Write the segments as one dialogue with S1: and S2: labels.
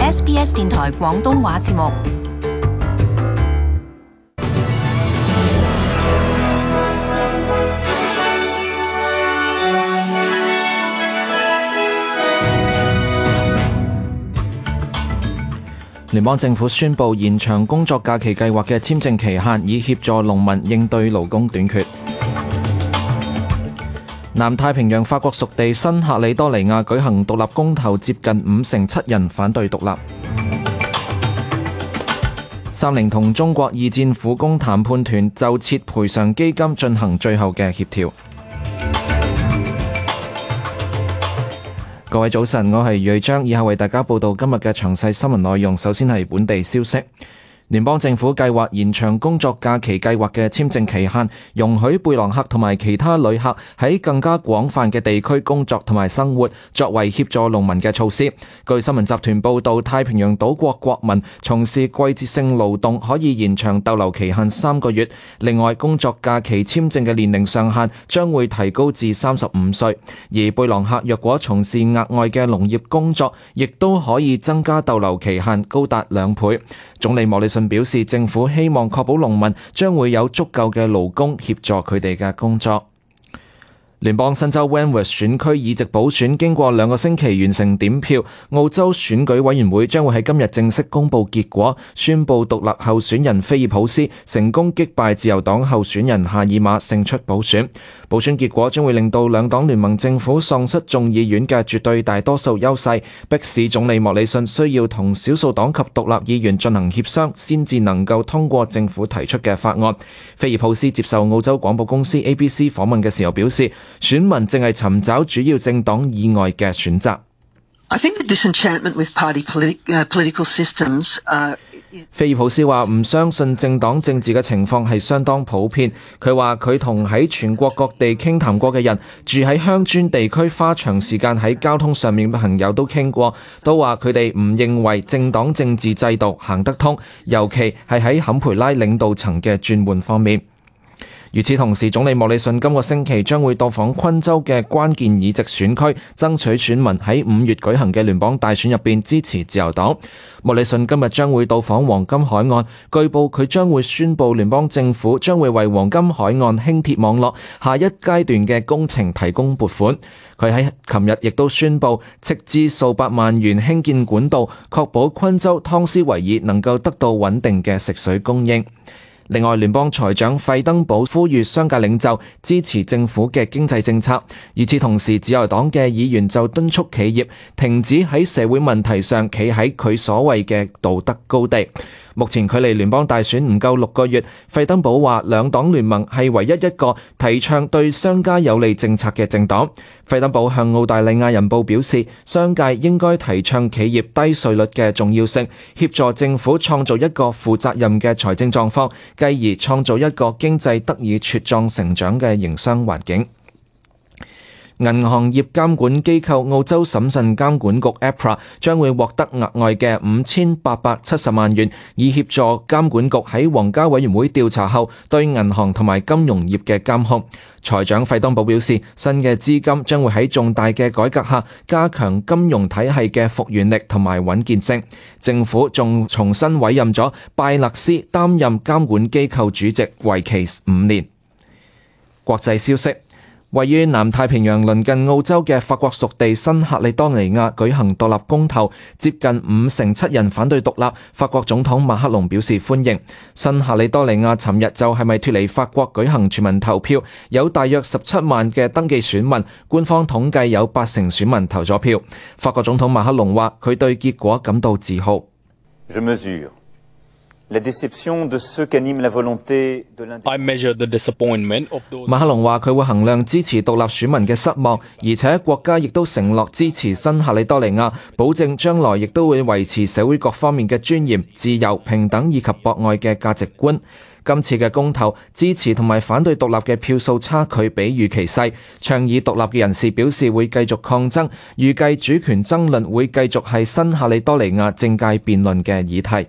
S1: SBS 電台廣東話節目。
S2: 聯邦政府宣布延長工作假期計劃嘅簽證期限，以協助農民應對勞工短缺。南太平洋法國屬地新喀里多尼亞舉行獨立公投，接近57%人反對獨立。三菱同中國二戰苦工談判團就設賠償基金進行最後嘅協調。各位早晨，我係瑞章，以下為大家報道今日嘅詳細新聞內容。首先係本地消息。聯邦政府計劃延長工作假期計劃嘅簽證期限，容許貝朗克同埋其他旅客喺更加廣泛嘅地區工作同埋生活，作為協助農民嘅措施。據新聞集團報道，太平洋島國國民從事季節性勞動可以延長逗留期限3個月。另外，工作假期簽證嘅年齡上限將會提高至35歲，而貝朗克若果從事額外嘅農業工作，亦都可以增加逗留期限高達2倍。總理莫里遜表示，政府希望確保農民將會有足夠嘅勞工協助佢哋嘅工作。聯邦新州 Wentworth 選區議席補選經過2個星期完成點票，澳洲選舉委員會將會喺今日正式公佈結果，宣佈獨立候選人菲爾普斯成功擊敗自由黨候選人夏爾馬勝出補選。補選結果將會令到兩黨聯盟政府喪失眾議院嘅絕對大多數優勢，迫使總理莫里遜需要同少數黨及獨立議員進行協商，先至能夠通過政府提出嘅法案。菲爾普斯接受澳洲廣播公司 ABC 訪問嘅時候表示，選民正係尋找主要政黨以外嘅選擇。菲爾普斯話唔相信政黨政治嘅情況係相當普遍。佢話佢同喺全國各地傾談過嘅人，住喺鄉村地區花長時間喺交通上面嘅朋友都傾過，都話佢哋唔認為政黨政治制度行得通，尤其係喺坎培拉領導層嘅轉換方面。與此同時，總理莫里遜今個星期將會到訪昆州嘅關鍵議席選區，爭取選民喺5月舉行嘅聯邦大選入邊支持自由黨。莫里遜今日將會到訪黃金海岸，據報佢將會宣布聯邦政府將會為黃金海岸輕鐵網絡下一階段嘅工程提供撥款。佢喺琴日亦都宣布斥資數百萬元興建管道，確保昆州湯斯維爾能夠得到穩定嘅食水供應。另外，聯邦財長費登堡呼籲商界領袖支持政府嘅經濟政策。與此同時，自由黨嘅議員就敦促企業停止喺社會問題上企喺佢所謂嘅道德高地。目前距離聯邦大選唔夠6個月，費登堡話兩黨聯盟係唯一一個提倡對商家有利政策嘅政黨。費登堡向澳大利亞人報表示，商界應該提倡企業低稅率嘅重要性，協助政府創造一個負責任嘅財政狀況，繼而創造一個經濟得以茁壯成長嘅營商環境。銀行業監管機構澳洲審慎監管局 APRA 將會獲得額外嘅5870萬元，以協助監管局喺皇家委員會調查後對銀行同埋金融業嘅監控。財長費登堡表示，新嘅資金將會喺重大嘅改革下加強金融體系嘅復原力同埋穩健性。政府仲重新委任咗拜勒斯擔任監管機構主席，為期5年。國際消息。位於南太平洋鄰近澳洲嘅法國屬地新喀里多尼亞舉行獨立公投，接近57%人反對獨立。法國總統馬克龍表示歡迎。新喀里多尼亞尋日就係咪脫離法國舉行全民投票，有大約17萬嘅登記選民，官方統計有80%選民投咗票。法國總統馬克龍話佢對結果感到自豪。馬克龍話佢會衡量支持獨立選民嘅失望，而且國家亦都承諾支持新喀里多尼亞，保證將來亦都會維持社會各方面嘅尊嚴、自由、平等以及博愛嘅價值觀。今次嘅公投，支持同埋反對獨立嘅票數差距比預期細，倡議獨立嘅人士表示會繼續抗爭，預計主權爭論會繼續係新喀里多尼亞政界辯論嘅議題。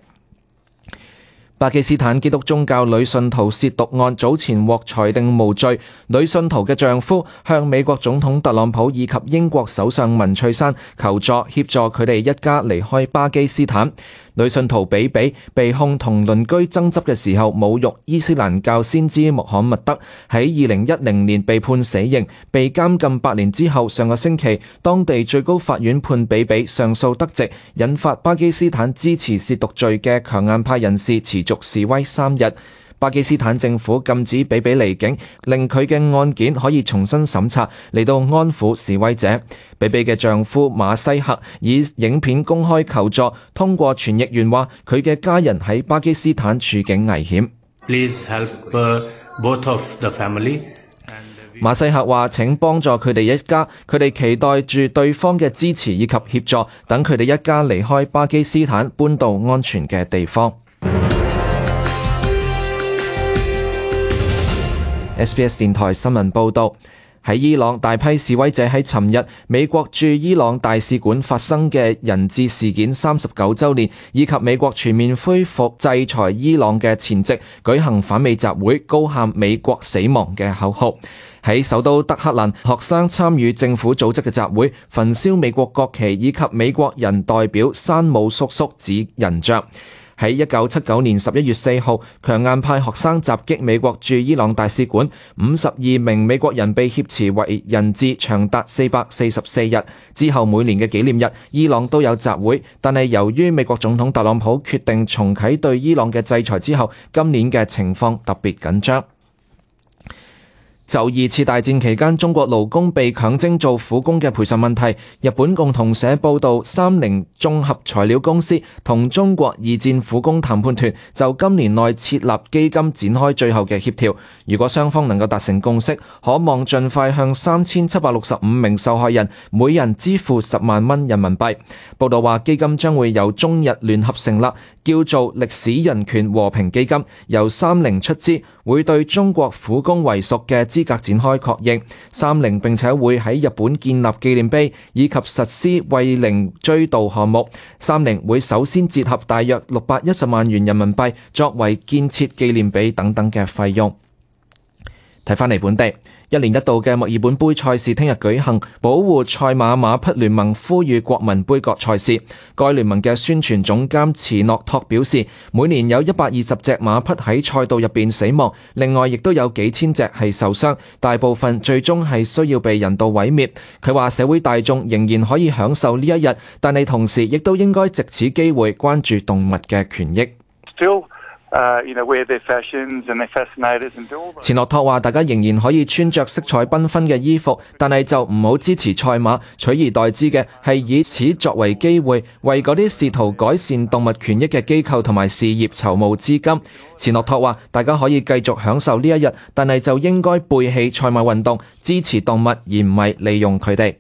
S2: 巴基斯坦基督宗教女信徒褻瀆案早前獲裁定無罪，女信徒嘅丈夫向美國總統特朗普以及英國首相文翠珊求助，協助佢哋一家離開巴基斯坦。女信徒比比被控同鄰居爭執嘅時候侮辱伊斯蘭教先知穆罕默德，喺2010年被判死刑，被監禁8年之後，上個星期當地最高法院判比比上訴得直，引發巴基斯坦支持褻瀆罪嘅強硬派人士持續示威3日。巴基斯坦政府禁止比比離境，令佢嘅案件可以重新審查，嚟到安撫示威者。比比嘅丈夫馬西克以影片公開求助，通過傳譯員話佢嘅家人喺巴基斯坦處境危險。
S3: Please help both of the family.
S2: 馬西克話：請幫助佢哋一家，佢哋期待住對方嘅支持以及協助，等佢哋一家離開巴基斯坦，搬到安全嘅地方。SBS 電台新聞報導，喺伊朗大批示威者喺尋日美國駐伊朗大使館發生嘅人質事件39週年，以及美國全面恢復制裁伊朗嘅前夕，舉行反美集會，高喊美國死亡嘅口號。喺首都德黑蘭，學生參與政府組織嘅集會，焚燒美國國旗以及美國人代表山姆叔叔指人像。喺1979年11月4號，強硬派學生襲擊美國駐伊朗大使館，52名美國人被挾持為人質，長達444日。之後每年嘅紀念日，伊朗都有集會，但係由於美國總統特朗普決定重啟對伊朗嘅制裁之後，今年嘅情況特別緊張。就2次大戰期間中國勞工被強徵做苦工嘅賠償問題，日本共同社報道，三菱綜合材料公司同中國2戰苦工談判團就今年內設立基金展開最後嘅協調。如果雙方能夠達成共識，可望盡快向3765名受害人每人支付10萬蚊人民幣。報道話，基金將會由中日聯合成立，叫做歷史人權和平基金，由三菱出資，會對中國苦工為屬嘅資格展開確認。三菱並且會喺日本建立紀念碑，以及實施慰靈追悼項目。三菱會首先折合大約610萬元人民幣，作為建設紀念碑等等嘅費用。睇返嚟本地。1年1度嘅墨爾本杯賽事聽日舉行，保護賽馬馬匹聯盟呼籲國民杯葛賽事。該聯盟嘅宣傳總監茨諾托表示，每年有120隻馬匹喺賽道入邊死亡，另外亦都有幾千隻係受傷，大部分最終係需要被人道毀滅。佢話社會大眾仍然可以享受呢一日，但係同時亦都應該藉此機會關注動物嘅權益。錢諾托話：大家仍然可以穿着色彩繽紛嘅衣服，但係就唔好支持賽馬，取而代之嘅係以此作為機會，為嗰啲試圖改善動物權益嘅機構同埋事業籌募資金。錢諾托話：大家可以繼續享受呢一日，但係就應該背棄賽馬運動，支持動物，而唔係利用佢哋。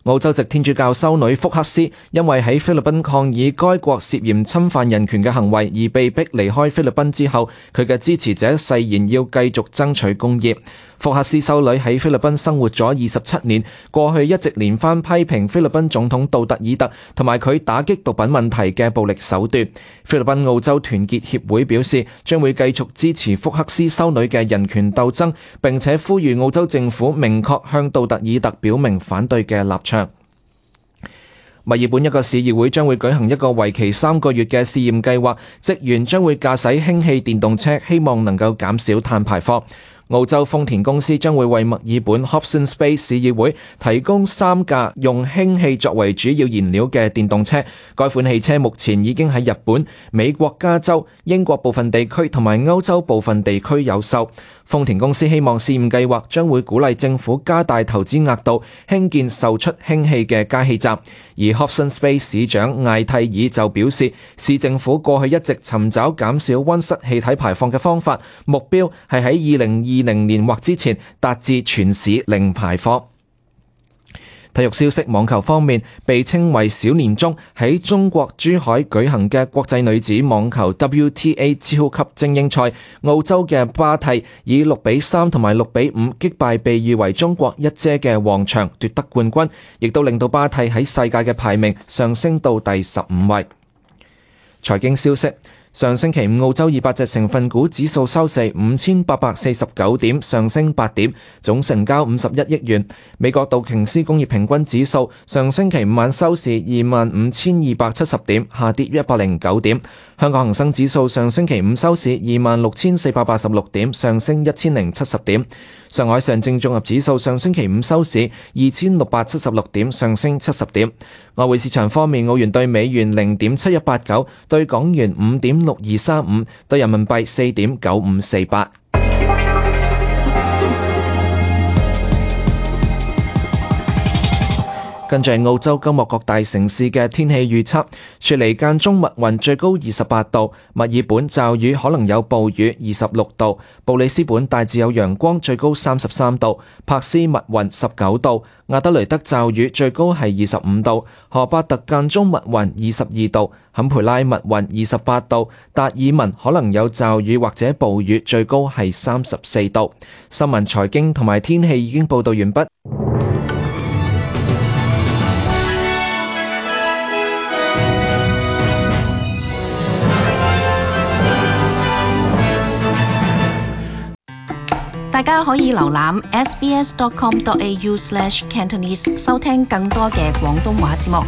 S2: 澳洲籍天主教修女福克斯因為喺菲律賓抗議該國涉嫌侵犯人權嘅行為而被逼離開菲律賓之後，佢嘅支持者誓言要繼續爭取公義。福克斯修女喺菲律賓生活咗27年，過去一直連番批評菲律賓總統杜特爾特同埋佢打擊毒品問題嘅暴力手段。菲律賓澳洲團結協會表示，將會繼續支持福克斯修女嘅人權鬥爭，並且呼籲澳洲政府明確向杜特爾特表明反對嘅立場。墨爾本一個市議會將會舉行一個為期3個月嘅試驗計劃，職員將會駕駛氫氣電動車，希望能夠減少碳排放。澳洲豐田公司將會為墨爾本 Hobsons Bay 市議會提供3架用氫氣作為主要燃料嘅電動車。該款汽車目前已經喺日本、美國加州、英國部分地區同埋歐洲部分地區有售。豐田公司希望試驗計劃將會鼓勵政府加大投資額度，興建售出氫氣嘅加氣站。而 Hobsons Bay 市長艾蒂爾就表示，市政府過去一直尋找減少溫室氣體排放嘅方法，目標係喺2020年或之前達至全市零排放。體育消息，網球方面，被稱為小年中喺中國珠海舉行嘅國際女子網球 WTA 超級精英賽，澳洲嘅巴蒂以6-3同埋6-5擊敗被譽為中國一姐嘅王薔，奪得冠軍，亦都令到巴蒂喺世界嘅排名上升到第15位。財經消息。上星期五澳洲200隻成分股指數收市5849點，上升8點，總成交51億元。美國道瓊斯工業平均指數上星期五晚收市25,270點，下跌109點。香港恒生指數上星期五收市26,486點，上升1070點。上海上證綜合指數上星期五收市2,676點，上升70點。外匯市場方面，澳元對美元0.7189，對港元5.6235，對人民幣4.9548。跟住係澳洲今日各大城市嘅天氣預測：雪梨間中密雲，最高28度；墨爾本驟雨，可能有暴雨，26度；布里斯本大致有陽光，最高33度；珀斯密雲19度；亞德雷德驟雨，最高係25度；荷巴特間中密雲22度；坎培拉密雲28度；達爾文可能有驟雨或者暴雨，最高係34度。新聞、財經同埋天氣已經報道完畢。
S1: 大家可以瀏覽 sbs.com.au/cantonese 收聽更多嘅廣東話節目。